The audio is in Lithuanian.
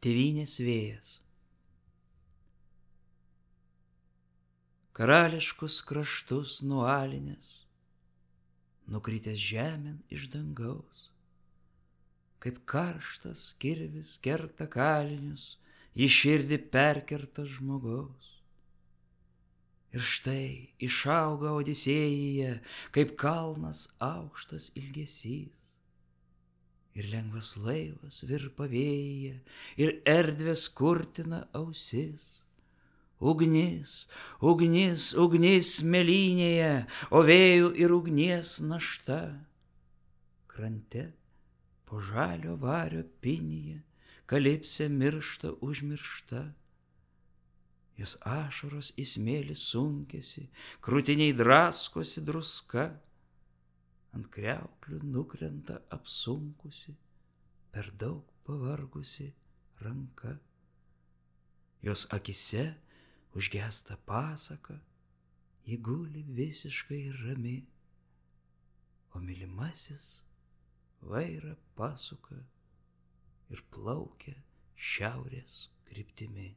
tėvynės vėjas. Karališkus kraštus nualinęs, nukritęs žemėn iš dangaus, kaip karštas kirvis kerta kalinius, į širdį perkerta žmogaus. Ir štai išauga Odisėjuje, kaip kalnas aukštas ilgesys. Ir lengvas laivas virpa vėjyje, ir erdvės kurtina ausis. Ugnis, ugnis, ugnis mėlynėje, o vėjų ir ugnies našta. Krante po žalio vario pinyje, kalipsė miršta užmiršta. Jos ašaros į smėlį sunkėsi, krūtiniai draskosi druska. Ant kriauklių nukrenta apsunkusi, per daug pavargusi ranka. Jos akise užgesta pasaka, ji guli visiškai rami, o mylimasis vairą pasuka ir plaukia šiaurės kryptimi.